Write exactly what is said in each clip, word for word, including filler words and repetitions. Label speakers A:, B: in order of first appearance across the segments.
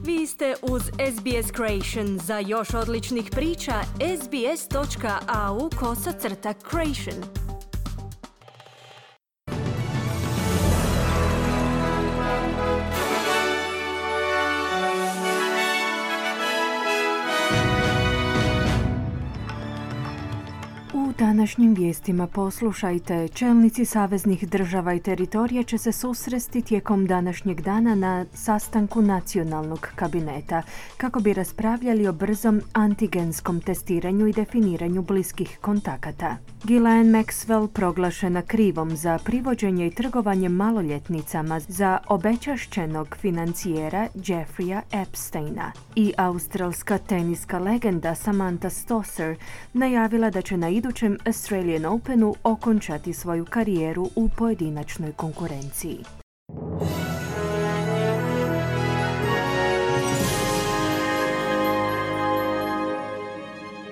A: Vi ste uz S B S Creation. Za još odličnih priča, sbs.au kosacrta creation.
B: U današnjim vijestima poslušajte, čelnici saveznih država i teritorija će se susresti tijekom današnjeg dana na sastanku nacionalnog kabineta kako bi raspravljali o brzom antigenskom testiranju i definiranju bliskih kontakata. Ghislaine Maxwell proglašena krivom za privođenje i trgovanje maloljetnicama za obečašćenog financijera Jeffreya Epsteina i australska teniska legenda Samantha Stosur najavila da će na idućem Australian Openu okončati svoju karijeru u pojedinačnoj konkurenciji.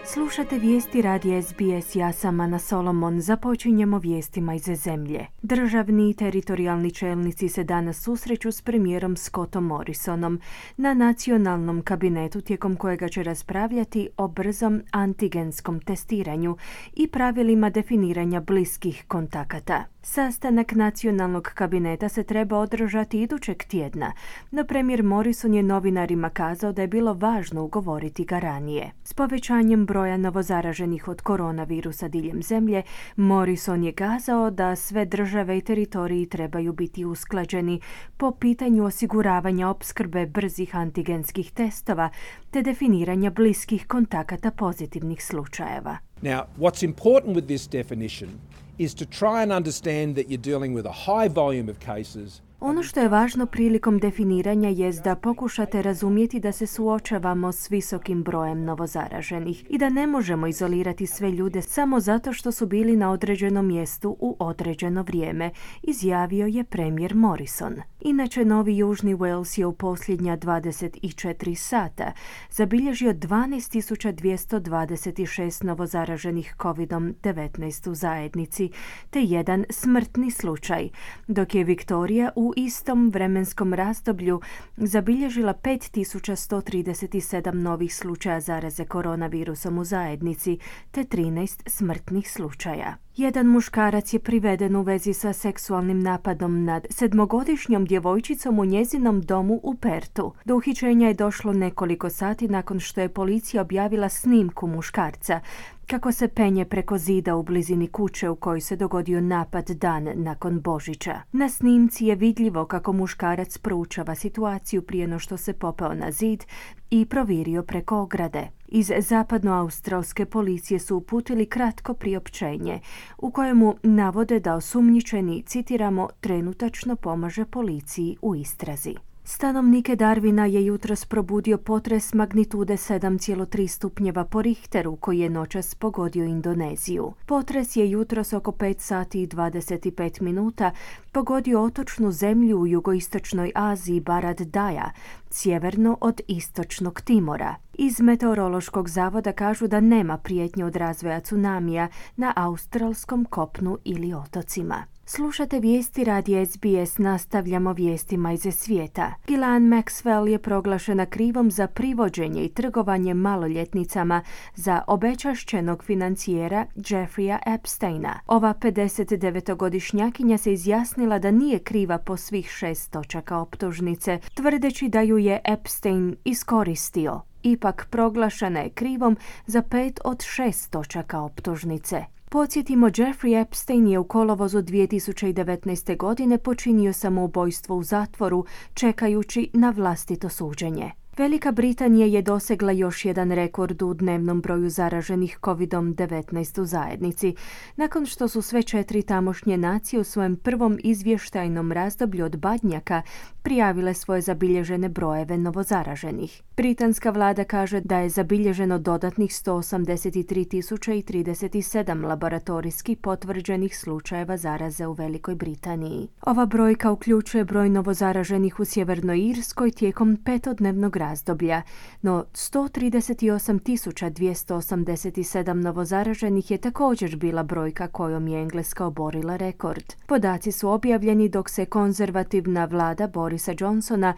B: Slušate vijesti radija S B S, ja sam Ana Solomon. Započinjemo vijestima iz zemlje. Državni i teritorijalni čelnici se danas susreću s premijerom Scottom Morrisonom na nacionalnom kabinetu tijekom kojega će raspravljati o brzom antigenskom testiranju i pravilima definiranja bliskih kontakata. Sastanak nacionalnog kabineta se treba održati idućeg tjedna, no premijer Morrison je novinarima kazao da je bilo važno ugovoriti ga ranije. S povećanjem broja novozaraženih od koronavirusa diljem zemlje, Morrison je kazao da sve države i teritoriji trebaju biti usklađeni po pitanju osiguravanja opskrbe brzih antigenskih testova te definiranja bliskih kontakata pozitivnih slučajeva.
C: Now, what's important with this definition is to try and understand that you're dealing with a high volume of cases.
B: Ono što je važno prilikom definiranja jest da pokušate razumjeti da se suočavamo s visokim brojem novozaraženih i da ne možemo izolirati sve ljude samo zato što su bili na određenom mjestu u određeno vrijeme, izjavio je premijer Morrison. Inače, Novi Južni Wales je u posljednja dvadeset četiri sata zabilježio dvanaest tisuća dvjesto dvadeset šest novozaraženih kovid devetnaest u zajednici, te jedan smrtni slučaj, dok je Viktorija u istom vremenskom razdoblju zabilježila pet tisuća sto trideset sedam novih slučaja zaraze koronavirusom u zajednici, te trinaest smrtnih slučaja. Jedan muškarac je priveden u vezi sa seksualnim napadom nad sedmogodišnjom djevojčicom u njezinom domu u Pertu. Do uhićenja je došlo nekoliko sati nakon što je policija objavila snimku muškarca kako se penje preko zida u blizini kuće u kojoj se dogodio napad dan nakon Božića. Na snimci je vidljivo kako muškarac proučava situaciju prije no što se popeo na zid i provirio preko ograde. Iz zapadnoaustralske policije su uputili kratko priopćenje u kojemu navode da osumnjičeni, citiramo, trenutačno pomaže policiji u istrazi. Stanovnike Darwina je jutros probudio potres magnitude sedam zarez tri stupnjeva po Richteru koji je noćas pogodio Indoneziju. Potres je jutros oko pet sati i dvadeset pet minuta pogodio otočnu zemlju u jugoistočnoj Aziji Barat Daya, sjeverno od istočnog Timora. Iz meteorološkog zavoda kažu da nema prijetnje od razvoja tsunamija na australskom kopnu ili otocima. Slušate vijesti radija S B S, nastavljamo vijestima iz svijeta. Ghislaine Maxwell je proglašena krivom za privođenje i trgovanje maloljetnicama za obečašćenog financijera Jeffreya Epsteina. Ova pedesetdevetogodišnjakinja se izjasnila da nije kriva po svih šest točaka optužnice, tvrdeći da ju je Epstein iskoristio. Ipak proglašena je krivom za pet od šest točaka optužnice. Podsjetimo, Jeffrey Epstein je u kolovozu dvije tisuće devetnaeste. godine počinio samoubojstvo u zatvoru, čekajući na vlastito suđenje. Velika Britanija je dosegla još jedan rekord u dnevnom broju zaraženih kovid devetnaest u zajednici, nakon što su sve četiri tamošnje nacije u svojem prvom izvještajnom razdoblju od Badnjaka prijavile svoje zabilježene brojeve novozaraženih. Britanska vlada kaže da je zabilježeno dodatnih sto osamdeset tri tisuće trideset sedam laboratorijski potvrđenih slučajeva zaraze u Velikoj Britaniji. Ova brojka uključuje broj novozaraženih u Sjevernoj Irskoj tijekom petodnevnog razdoblja, no sto trideset osam tisuća dvjesto osamdeset sedam novozaraženih je također bila brojka kojom je Engleska oborila rekord. Podaci su objavljeni dok se konzervativna vlada Borisa Johnsona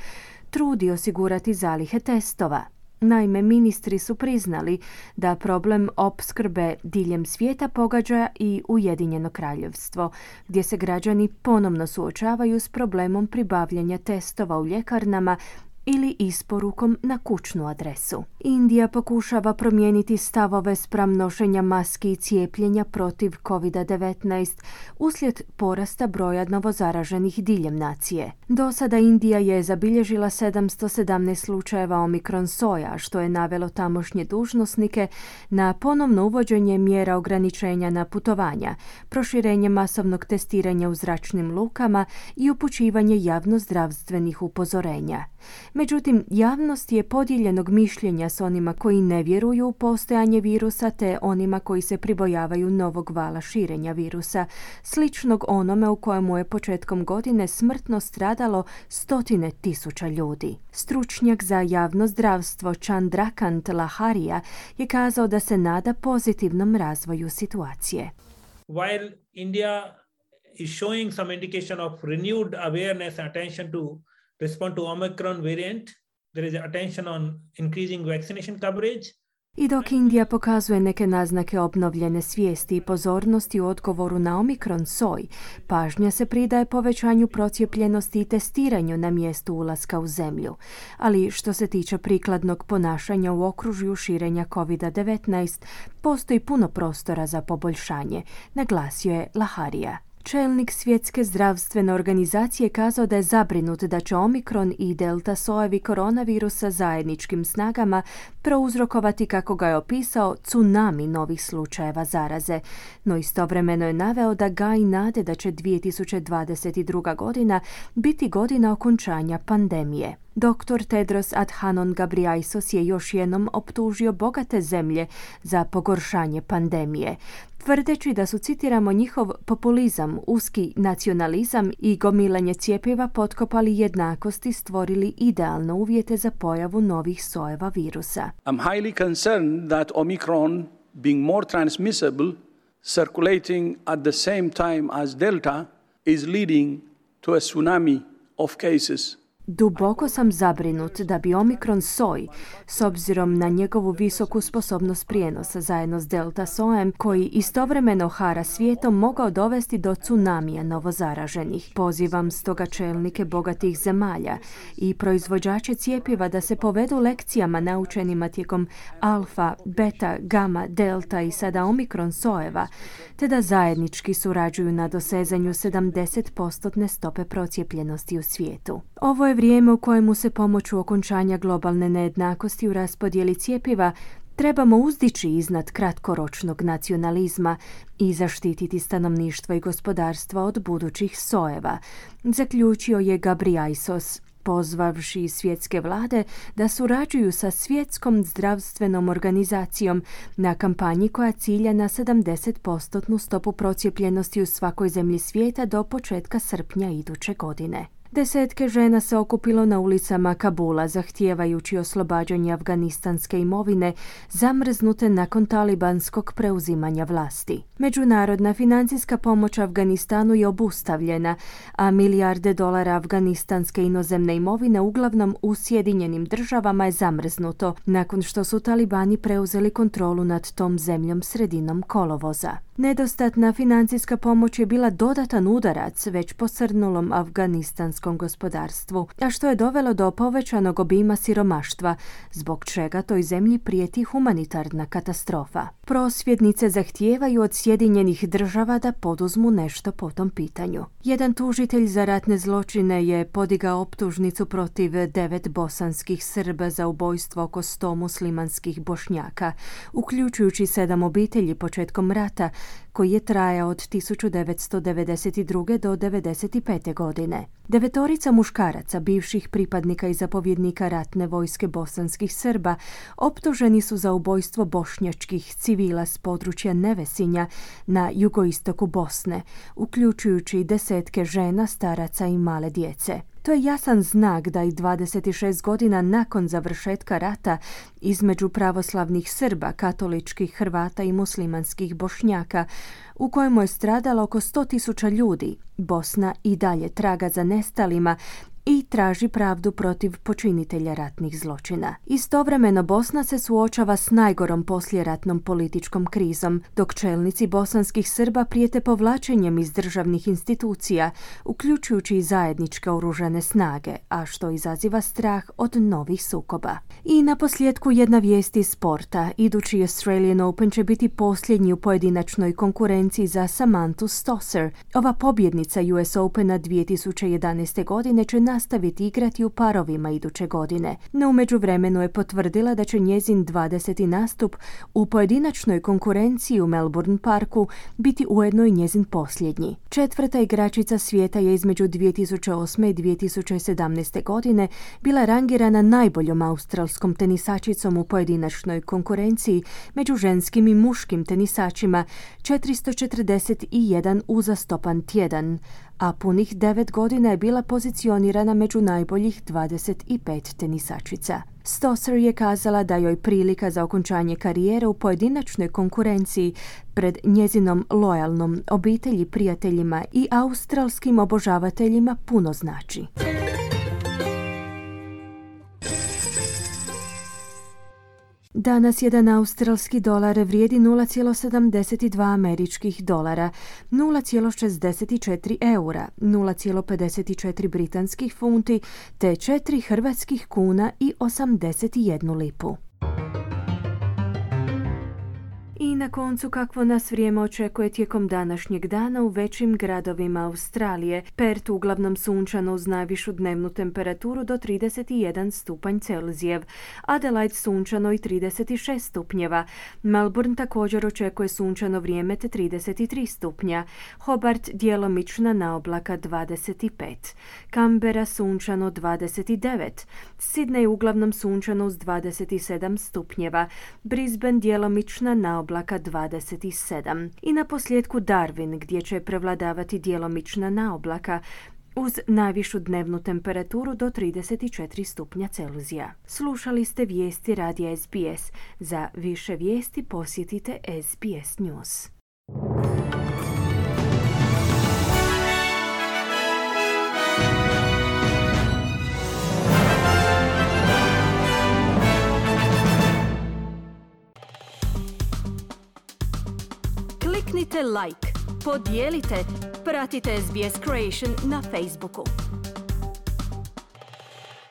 B: trudi osigurati zalihe testova. Naime, ministri su priznali da problem opskrbe diljem svijeta pogađa i Ujedinjeno kraljevstvo, gdje se građani ponovno suočavaju s problemom pribavljanja testova u ljekarnama ili isporukom na kućnu adresu. Indija pokušava promijeniti stavove spram nošenja maski i cijepljenja protiv kovid devetnaest uslijed porasta broja novozaraženih diljem nacije. Do sada Indija je zabilježila sedamsto sedamnaest slučajeva omikron soja, što je navelo tamošnje dužnosnike na ponovno uvođenje mjera ograničenja na putovanja, proširenje masovnog testiranja u zračnim lukama i upućivanje javnozdravstvenih upozorenja. Međutim, javnost je podijeljenog mišljenja s onima koji ne vjeruju u postojanje virusa te onima koji se pribojavaju novog vala širenja virusa, sličnog onome u kojemu je početkom godine smrtno stradalo stotine tisuća ljudi. Stručnjak za javno zdravstvo Chandrakant Laharia je kazao da se nada pozitivnom razvoju situacije.
D: While India is showing some indication of renewed awareness and attention to respond to Omicron variant, there is attention on increasing vaccination coverage.
B: I dok Indija pokazuje neke naznake obnovljene svijesti i pozornosti u odgovoru na omikron soj, pažnja se pridaje povećanju procijepljenosti i testiranju na mjestu ulaska u zemlju. Ali što se tiče prikladnog ponašanja u okružju širenja kovid devetnaest, postoji puno prostora za poboljšanje, naglasio je Laharia. Čelnik Svjetske zdravstvene organizacije kazao da je zabrinut da će omikron i delta sojevi koronavirusa zajedničkim snagama prouzrokovati, kako ga je opisao, tsunami novih slučajeva zaraze. No istovremeno je naveo da gaji nade da će dvije tisuće dvadeset druga. godina biti godina okončanja pandemije. Doktor Tedros Adhanom Ghebreyesus je još jednom optužio bogate zemlje za pogoršanje pandemije, tvrdeći da su, citiramo, njihov populizam, uski nacionalizam i gomilanje cjepiva potkopali jednakost i stvorili idealne uvjete za pojavu novih sojeva virusa.
E: I'm highly concerned that Omicron, being more transmissible, circulating at the same time as Delta, is leading to a tsunami of cases.
B: Duboko sam zabrinut da bi omikron soj, s obzirom na njegovu visoku sposobnost prijenosa zajedno s delta sojem, koji istovremeno hara svijetom, mogao dovesti do tsunamija novozaraženih. Pozivam stoga čelnike bogatih zemalja i proizvođače cjepiva da se povedu lekcijama naučenima tijekom alfa, beta, gama, delta i sada omikron sojeva, te da zajednički surađuju na dosezanju sedamdeset posto stope procijepljenosti u svijetu. Ovo je vrijeme u kojemu se pomoću okončanja globalne nejednakosti u raspodjeli cjepiva trebamo uzdići iznad kratkoročnog nacionalizma i zaštititi stanovništvo i gospodarstva od budućih sojeva, zaključio je Ghebreyesus, pozvavši svjetske vlade da surađuju sa Svjetskom zdravstvenom organizacijom na kampanji koja cilja na sedamdeset posto stopu procijepljenosti u svakoj zemlji svijeta do početka srpnja iduće godine. Desetke žena se okupilo na ulicama Kabula zahtijevajući oslobađanje afganistanske imovine zamrznute nakon talibanskog preuzimanja vlasti. Međunarodna financijska pomoć Afganistanu je obustavljena, a milijarde dolara afganistanske inozemne imovine uglavnom u Sjedinjenim državama je zamrznuto nakon što su talibani preuzeli kontrolu nad tom zemljom sredinom kolovoza. Nedostatna financijska pomoć je bila dodatan udarac već posrnulom afganistanskom gospodarstvu, a što je dovelo do povećanog obima siromaštva, zbog čega toj zemlji prijeti humanitarna katastrofa. Prosvjednice zahtijevaju od Sjedinjenih država da poduzmu nešto po tom pitanju. Jedan tužitelj za ratne zločine je podigao optužnicu protiv devet bosanskih Srba za ubojstvo oko sto muslimanskih Bošnjaka, uključujući sedam obitelji početkom rata, koji je trajao od tisuću devetsto devedeset druge. do devedeset pete. godine. Devetorica muškaraca, bivših pripadnika i zapovjednika ratne vojske bosanskih Srba, optuženi su za ubojstvo bošnjačkih civila s područja Nevesinja na jugoistoku Bosne, uključujući desetke žena, staraca i male djece. To je jasan znak da i dvadeset šest godina nakon završetka rata između pravoslavnih Srba, katoličkih Hrvata i muslimanskih Bošnjaka, u kojemu je stradalo oko sto tisuća ljudi, Bosna i dalje traga za nestalima i traži pravdu protiv počinitelja ratnih zločina. Istovremeno Bosna se suočava s najgorom poslijeratnom političkom krizom, dok čelnici bosanskih Srba prijete povlačenjem iz državnih institucija, uključujući i zajedničke oružane snage, a što izaziva strah od novih sukoba. I na posljedku jedna vijest iz sporta. Idući Australian Open će biti posljednji u pojedinačnoj konkurenciji za Samanthu Stosur. Ova pobjednica U S Opena dvije tisuće jedanaeste. godine će nastaviti igrati u parovima iduće godine, no u međuvremenu je potvrdila da će njezin dvadeseti nastup u pojedinačnoj konkurenciji u Melbourne Parku biti ujedno i njezin posljednji. Četvrta igračica svijeta je između dvije tisuće osme. i dvije tisuće sedamnaeste. godine bila rangirana najboljom australskom tenisačicom u pojedinačnoj konkurenciji među ženskim i muškim tenisačima, četiristo četrdeset jedan uzastopan tjedan, a punih devet godina je bila pozicionirana među najboljih dvadeset pet tenisačica. Stosur je kazala da joj prilika za okončanje karijere u pojedinačnoj konkurenciji pred njezinom lojalnom obitelji, prijateljima i australskim obožavateljima puno znači. Danas jedan australski dolar vrijedi nula zarez sedamdeset dva američkih dolara, nula zarez šezdeset četiri eura, nula zarez pedeset četiri britanskih funti te četiri hrvatskih kuna i osamdeset jednu lipu. I na koncu kakvo nas vrijeme očekuje tijekom današnjeg dana u većim gradovima Australije. Perth uglavnom sunčano uz najvišu dnevnu temperaturu do trideset jedan stupanj Celzijev, Adelaide sunčano i trideset šest stupnjeva, Melbourne također očekuje sunčano vrijeme te trideset tri stupnja, Hobart djelomična naoblaka dvadeset pet, Canberra sunčano dvadeset devet, Sydney uglavnom sunčano uz dvadeset sedam stupnjeva, Brisbane djelomična naoblaka dvadeset sedam i na posljedku Darwin gdje će prevladavati djelomična naoblaka uz najvišu dnevnu temperaturu do trideset četiri stupnja Celzija. Slušali ste vijesti radija S B S. Za više vijesti posjetite S B S News.
A: Kliknite like, podijelite, pratite S B S Creation na Facebooku.